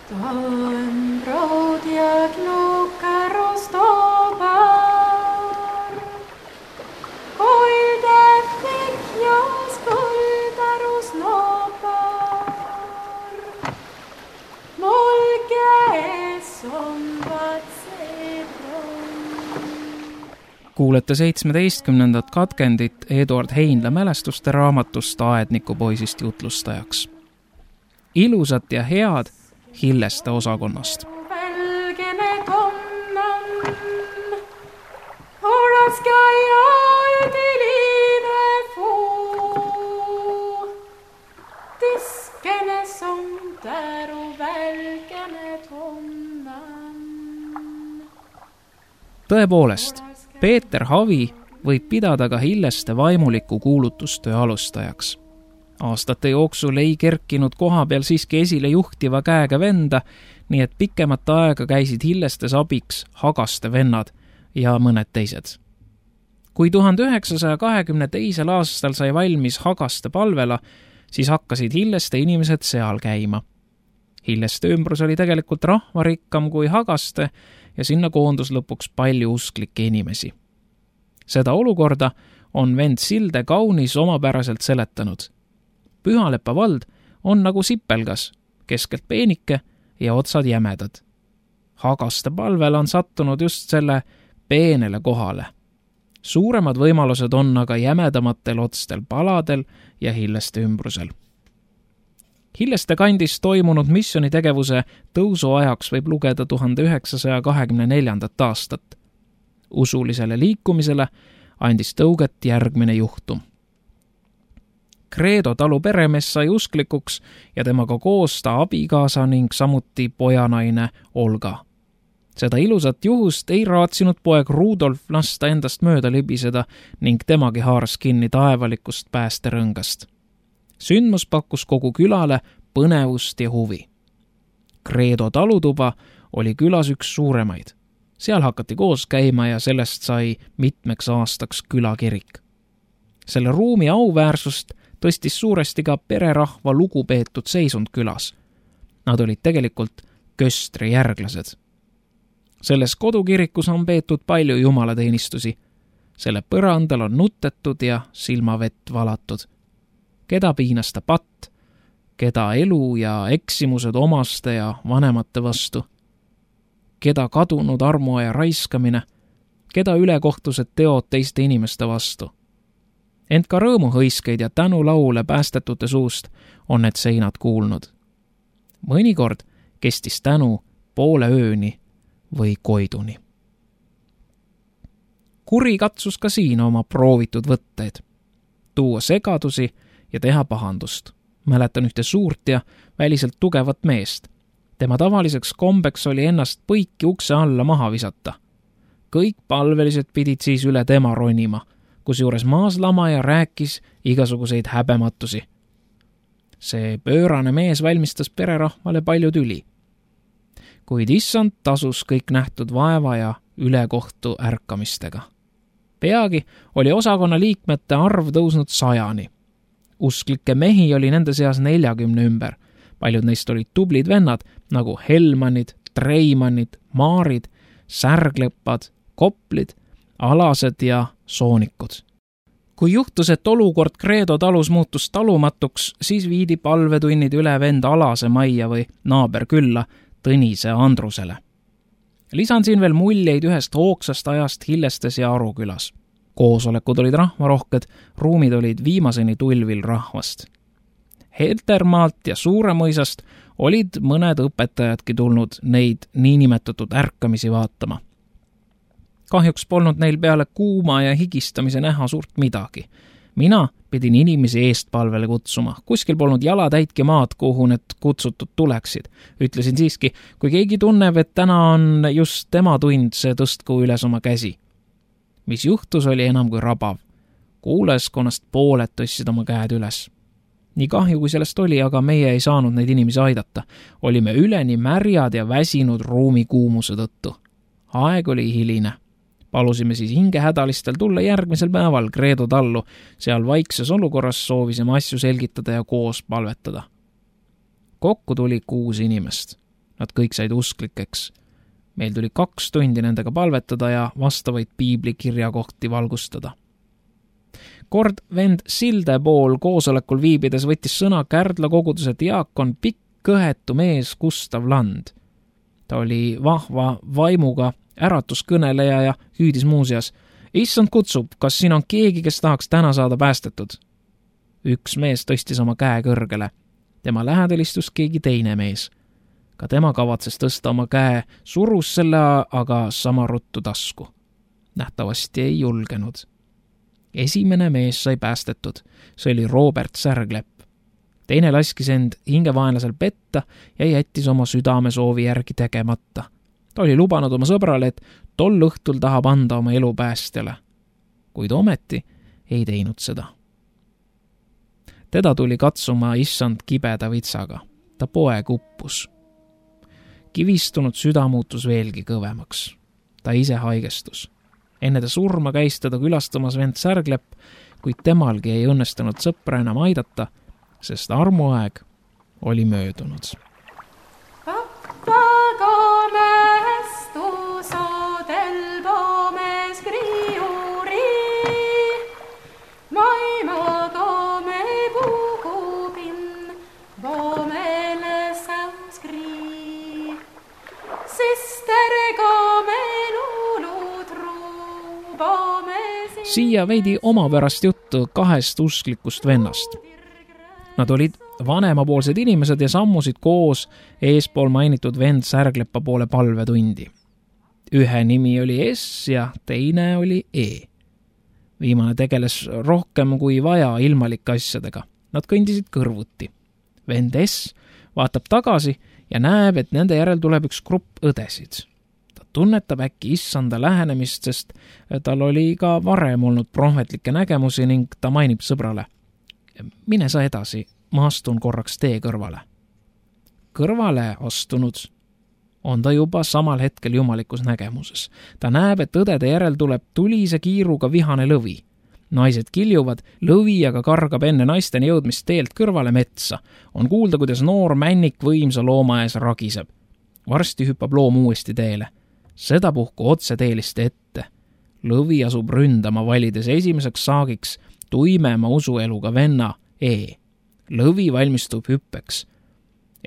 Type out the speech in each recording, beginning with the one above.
Stałem brod jak luka roztobar, Hoide fikja skuldar och snoppar, Molke som vatsedron. Kuulete 17. katkendit Eduard Heinla mälestuste raamatust Aednikupoisist jutlustajaks. Ilusat ja head Hilleste osakonnast. Välgene tonnan, ska jag till livet få. Diskene som där och välgene tonnan. Tõepoolest, Peeter Havi võib pidada ka Hilleste vaimuliku kuulutustöö alustajaks. Aastate jooksul ei kerkinud koha peal siiski esile juhtiva käega venda, nii et pikemat aega käisid Hillestes abiks Hagaste vennad ja mõned teised. Kui 1922. aastal sai valmis Hagaste palvela, siis hakkasid Hilleste inimesed seal käima. Hilleste ümbrus oli tegelikult rahvarikkam kui Hagaste ja sinna koondus lõpuks palju usklikke inimesi. Seda olukorda on vend Silde kaunis omapäraselt seletanud. Pühalepa vald on nagu sipelgas, keskelt peenike ja otsad jämedad. Hagaste palvel on sattunud just selle peenele kohale. Suuremad võimalused on aga jämedamatel otstel paladel ja Hilleste ümbrusel. Hilleste kandis toimunud missionitegevuse tõusu ajaks võib lugeda 1924. aastat. Usulisele liikumisele andis tõuget järgmine juhtum. Kreedo talu peremees sai usklikuks ja temaga koos ta abikaasa ning samuti pojanaine Olga. Seda ilusat juhust ei raatsinud poeg Rudolf lasta endast mööda libiseda ning temagi haaras kinni taevalikust päästerõngast. Sündmus pakkus kogu külale põnevust ja huvi. Kreedo talutuba oli külas üks suuremaid. Seal hakati koos käima ja sellest sai mitmeks aastaks külakirik. Selle ruumi auväärsust tõstis suuresti ka pererahva lugupeetud seisund külas. Nad olid tegelikult köstri järglased. Selles kodukirikus on peetud palju jumalateenistusi. Selle põrandal on nutetud ja silmavett valatud. Keda piinas ta patt, keda elu ja eksimused omaste ja vanemate vastu, keda kadunud armuaja raiskamine, keda ülekohtused teod teiste inimeste vastu. Ent ka rõõmuhõiskeid ja tänulaule päästetute suust on need seinad kuulnud. Mõnikord kestis tänu poole ööni või koiduni. Kuri katsus ka siin oma proovitud võtteid, tuua segadusi ja teha pahandust. Mäletan ühte suurt ja väliselt tugevat meest. Tema tavaliseks kombeks oli ennast põiki ukse alla maha visata. Kõik palvelised pidid siis üle tema ronima, kusjuures maaslamaja rääkis igasuguseid häbematusi. See pöörane mees valmistas pererahvale palju tüli. Kuid issand tasus kõik nähtud vaeva ja ülekohtu ärkamistega. Peagi oli osakonna liikmete arv tõusnud 100. Usklikke mehi oli nende seas 40 ümber. Paljud neist olid tublid vennad nagu Helmanid, Treimannid, Maarid, Särglepad, Koplid, Alased ja Soonikud. Kui juhtus, et olukord Kreedo talus muutus talumatuks, siis viidi palvetunnid üle vend Alase majja või naaberkülla Tõnise Andrusele. Lisan siin veel muljeid ühest hoogsast ajast Hillestes ja Arukülas. Koosolekud olid rahvarohked, ruumid olid viimaseni tulvil rahvast. Heltermaalt ja Suuremõisast olid mõned õpetajadki tulnud neid niinimetatud ärkamisi vaatama. Kahjuks polnud neil peale kuuma ja higistamise näha suurt midagi. Mina pidin inimesi eestpalvele kutsuma. Kuskil polnud jalatäitki maad, kuhu need kutsutud tuleksid. Ütlesin siiski, kui keegi tunneb, et täna on just tema tund, see tõstku üles oma käsi. Mis juhtus, oli enam kui rabav. Kuulajaskonnast pooled tõstsid oma käed üles. Nii kahju, kui sellest oli, aga meie ei saanud neid inimesi aidata. Olime üleni märjad ja väsinud ruumi kuumuse tõttu. Aeg oli hiline. Palusime siis hingehädalistel tulla järgmisel päeval Kreedo tallu. Seal vaikses olukorras soovisime asju selgitada ja koos palvetada. Kokku tuli 6 inimest. Nad kõik said usklikeks. Meil tuli 2 tundi nendega palvetada ja vastavaid piibli kirjakohti valgustada. Kord vend Silde pool koosolekul viibides võttis sõna Kärdla koguduse diakon pikk kõhetu mees Gustav Land. Ta oli vahva vaimuga äratuskõneleja ja hüüdis muuseas: "Issand kutsub, kas siin on keegi, kes tahaks täna saada päästetud?" Üks mees tõstis oma käe kõrgele. Tema lähedal istus keegi teine mees. Ka tema kavatses tõsta oma käe, surus selle aga sama ruttu tasku. Nähtavasti ei julgenud. Esimene mees sai päästetud. See oli Robert Särglepp. Teine laskis end hingevaenlasel petta ja jättis oma südame soovi järgi tegemata. Ta oli lubanud oma sõbrale, et tol õhtul tahab anda oma elu päästjale. Kuid ometi ei teinud seda. Teda tuli katsuma issand kibeda vitsaga. Ta poeg uppus. Kivistunud süda muutus veelgi kõvemaks. Ta ise haigestus. Enne ta surma käis teda külastamas vend Särglepp, kuid temalgi ei õnnestunud sõpra enam aidata, sest armuaeg oli möödunud. Siia veidi omapärast juttu 2 usklikust vennast. Nad olid vanemapoolsed inimesed ja sammusid koos eespool mainitud vend Särgleppa poole palvetundi. Ühe nimi oli S ja teine oli E. Viimane tegeles rohkem kui vaja ilmalike asjadega. Nad kõndisid kõrvuti. Vend S vaatab tagasi ja näeb, et nende järel tuleb üks grupp õdesid. Tunnetab äkki issanda lähenemist, sest tal oli ka varem olnud prohvetlikke nägemusi ning ta mainib sõbrale: "Mine sa edasi, ma astun korraks tee kõrvale." Kõrvale astunud on ta juba samal hetkel jumalikus nägemuses. Ta näeb, et õdede järel tuleb tulise kiiruga vihane lõvi. Naised kiljuvad, lõvi aga kargab enne naisteni jõudmist teelt kõrvale metsa. On kuulda, kuidas noor männik võimsa looma ees ragiseb. Varsti hüppab loom uuesti teele. Sedapuhku otse teeliste ette. Lõvi asub ründama, valides esimeseks saagiks tuimema usueluga venna E. Lõvi valmistub hüppeks.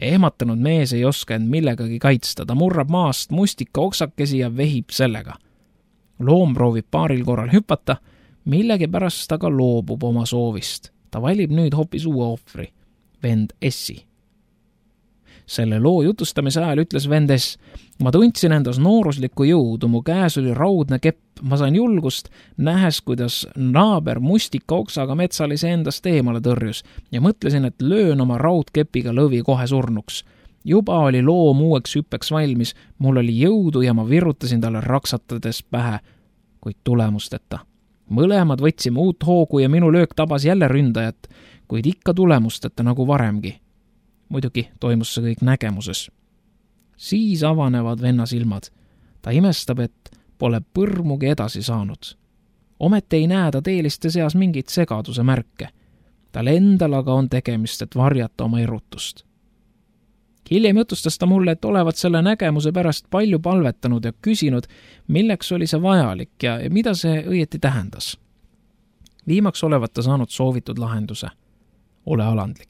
Ehmatanud mees ei oska end millegagi kaitsta, ta murrab maast mustika oksakesi ja vehib sellega. Loom proovib paaril korral hüpata, millegipärast ta ka loobub oma soovist. Ta valib nüüd hoopis uue ohvri, vend Essi. Selle loo jutustamise ajal ütles vend S: "Ma tundsin endas nooruslikku jõudu, mu käes oli raudne kepp, ma sain julgust, nähes, kuidas naaber mustika oksaga metsalise endast eemale tõrjus ja mõtlesin, et löön oma raudkepiga lõvi kohe surnuks. Juba oli loom uueks hüppeks valmis, mul oli jõudu ja ma virutasin talle raksatades pähe, kuid tulemusteta. Mõlemad võtsime uut hoogu ja minu löök tabas jälle ründajat, kuid ikka tulemusteta nagu varemgi. Muidugi toimus see kõik nägemuses. Siis avanevad venna silmad. Ta imestab, et pole põrmugi edasi saanud. Ometi ei näe ta teeliste seas mingit segaduse märke. Tal endal aga on tegemist, et varjata oma erutust. Hiljem jutustas ta mulle, et olevat selle nägemuse pärast palju palvetanud ja küsinud, milleks oli see vajalik ja mida see õieti tähendas. Viimaks olevat ta saanud soovitud lahenduse. Ole alandlik.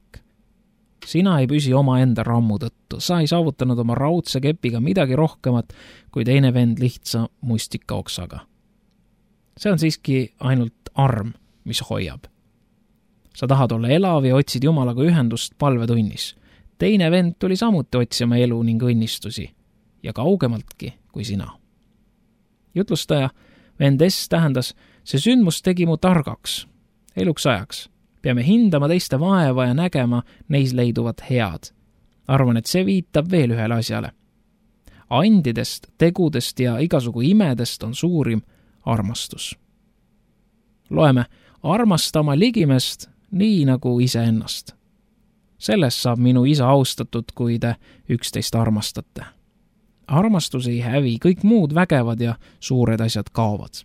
Sina ei püsi oma enda rammu tõttu, sa ei saavutanud oma raudse kepiga midagi rohkemat kui teine vend lihtsa mustika oksaga. See on siiski ainult arm, mis hoiab. Sa tahad olla elav ja otsid Jumalaga ühendust palvetunnis. Teine vend tuli samuti otsima elu ning õnnistusi ja kaugemaltki kui sina. Jutlustaja vend S tähendas, see sündmus tegi mu targaks, eluks ajaks. Peame hindama teiste vaeva ja nägema neis leiduvat head. Arvan, et see viitab veel ühele asjale. Andidest, tegudest ja igasugu imedest on suurim armastus. Loeme, armastama ligimest nii nagu iseennast. Sellest saab minu isa austatud, kui te üksteist armastate. Armastus ei hävi, kõik muud vägevad ja suured asjad kaovad.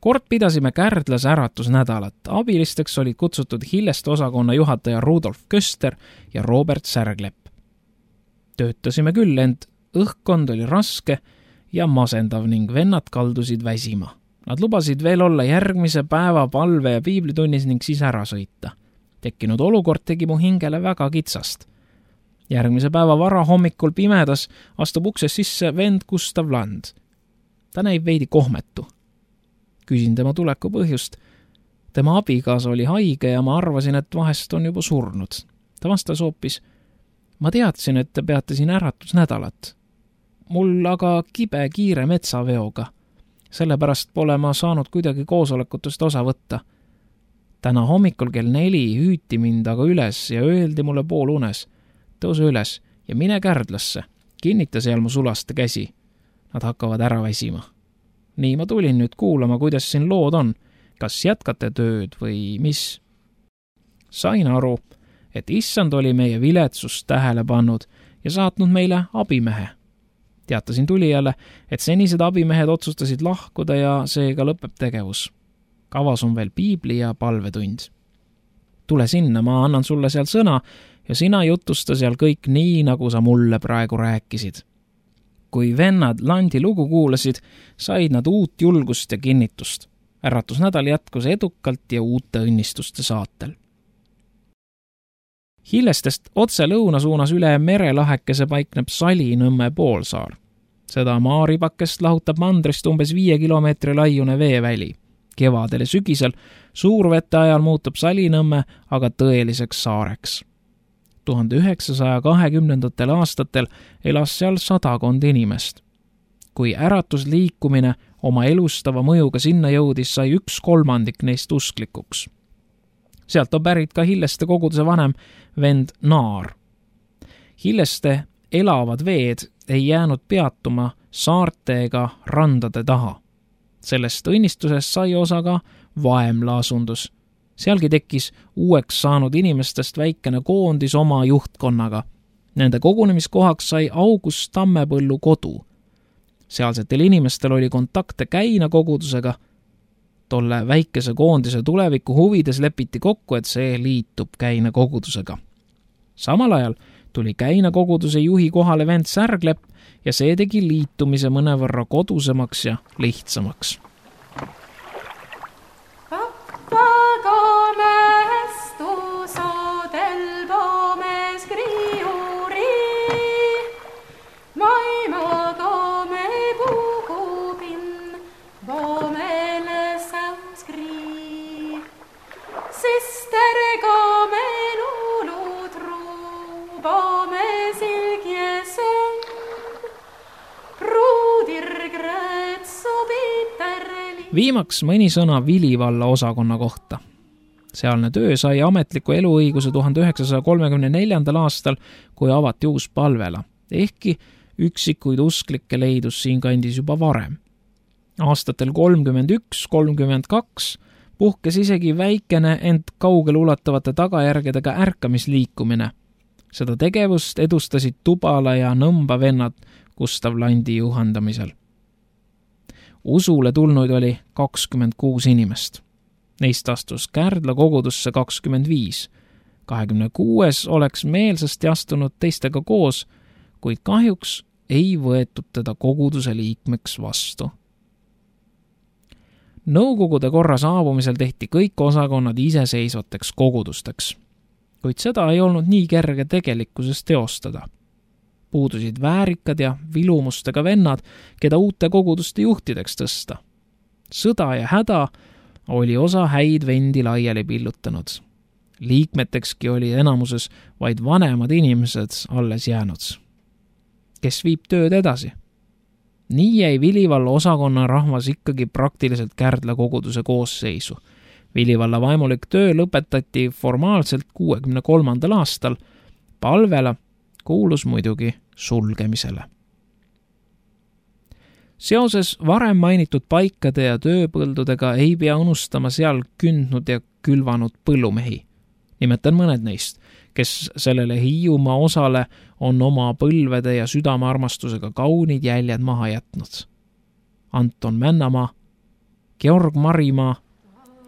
Kord pidasime Kärdlas äratusnädalat. Abilisteks olid kutsutud Hilleste osakonna juhataja Rudolf Köster ja Robert Särglepp. Töötasime küll, ent õhkkond oli raske ja masendav ning vennad kaldusid väsima. Nad lubasid veel olla järgmise päeva palve ja piiblitunnis ning siis ära sõita. Tekkinud olukord tegi mu hingele väga kitsast. Järgmise päeva varahommikul pimedas astub ukses sisse vend Gustav Land. Ta näib veidi kohmetu. Küsin tema tuleku põhjust. Tema abikaasa oli haige ja ma arvasin, et vahest on juba surnud. Ta vastas hoopis: ma teadsin, et te peate siin äratusnädalat. Mul aga kibe kiire metsaveoga. Sellepärast pole ma saanud kuidagi koosolekutest osa võtta. Täna hommikul kell 4 hüüti mind aga üles ja öeldi mulle poolunes: tõuse üles ja mine Kärdlasse, kinnita seal mu sulaste käsi. Nad hakkavad ära väsima. Nii ma tulin nüüd kuulama, kuidas siin lood on. Kas jätkate tööd või mis? Sain aru, et issand oli meie viletsust tähele pannud ja saatnud meile abimehe. Teatasin tulijale, et senised abimehed otsustasid lahkuda ja seega lõpeb tegevus. Kavas on veel piibli ja palvetund. Tule sinna, ma annan sulle seal sõna ja sina jutusta seal kõik nii, nagu sa mulle praegu rääkisid. Kui vennad Landi lugu kuulasid, said nad uut julgust ja kinnitust. Äratusnädal jätkus edukalt ja uute õnnistuste saatel. Hillestest otse lõuna suunas üle merelahekese paikneb Salinõmme poolsaar. Seda maaribakest lahutab mandrist umbes 5 kilomeetri laiune veeväli. Kevadel ja sügisel suurvete ajal muutub Salinõmme aga tõeliseks saareks. 1920. aastatel elas seal 100 inimest. Kui äratusliikumine oma elustava mõjuga sinna jõudis, sai 1/3 neist usklikuks. Sealt on pärit ka Hilleste koguduse vanem vend Naar. Hilleste elavad veed ei jäänud peatuma saarte ega randade taha. Sellest õnnistusest sai osa ka Vaemla asundus. Sealgi tekkis uueks saanud inimestest väikene koondis oma juhtkonnaga. Nende kogunemiskohaks sai August Tammepõllu kodu. Sealsetel inimestel oli kontakte Käina kogudusega. Tolle väikese koondise tuleviku huvides lepiti kokku, et see liitub Käina kogudusega. Samal ajal tuli Käina koguduse juhi kohale vend Särglepp ja see tegi liitumise mõnevõrra kodusemaks ja lihtsamaks. Viimaks mõni sõna Vilivalla osakonna kohta. Sealne töö sai ametliku eluõiguse 1934. aastal, kui avati uus palvela, ehkki üksikuid usklikke leidus siinkandis juba varem. Aastatel 31-32 puhkes isegi väikene, ent kaugele ulatavate tagajärgedega ärkamisliikumine. Seda tegevust edustasid Tubala ja Nõmba vennad Gustav Landi juhendamisel. Usule tulnuid oli 26 inimest. Neist astus Kärdla kogudusse 25. 26 oleks meelsasti astunud teistega koos, kuid kahjuks ei võetud teda koguduse liikmeks vastu. Nõukogude korra saabumisel tehti kõik osakonnad iseseisvateks kogudusteks, kuid seda ei olnud nii kerge tegelikkuses teostada. Puudusid väärikad ja vilumustega vennad, keda uute koguduste juhtideks tõsta. Sõda ja häda oli osa häid vendi laiali pillutanud. Liikmetekski oli enamuses vaid vanemad inimesed alles jäänud. Kes viib tööd edasi? Nii jäi Vilivalla osakonna rahvas ikkagi praktiliselt Kärdla koguduse koosseisu. Vilivalla vaimulik töö lõpetati formaalselt 63. aastal. Palvela kuulus muidugi sulgemisele. Seoses varem mainitud paikade ja tööpõldudega ei pea unustama seal kündnud ja külvanud põllumehi. Nimetan mõned neist, kes sellele Hiiumaa osale on oma põlvede ja südamearmastusega kaunid jäljed maha jätnud. Anton Männamaa, Georg Marimaa,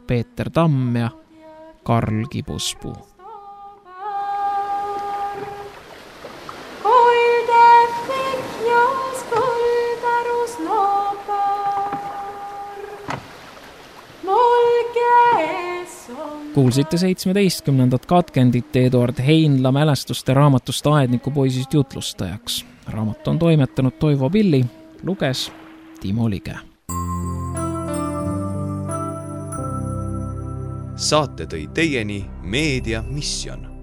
Peeter Tamm ja Karl Kibuspuu. Kuulsite 17. katkendit Eduard Heinla mälestuste raamatust Aedniku poisist jutlustajaks. Raamat on toimetanud Toivo Pilli, luges Timo Lige. Saate tõi teieni Meedia Mission.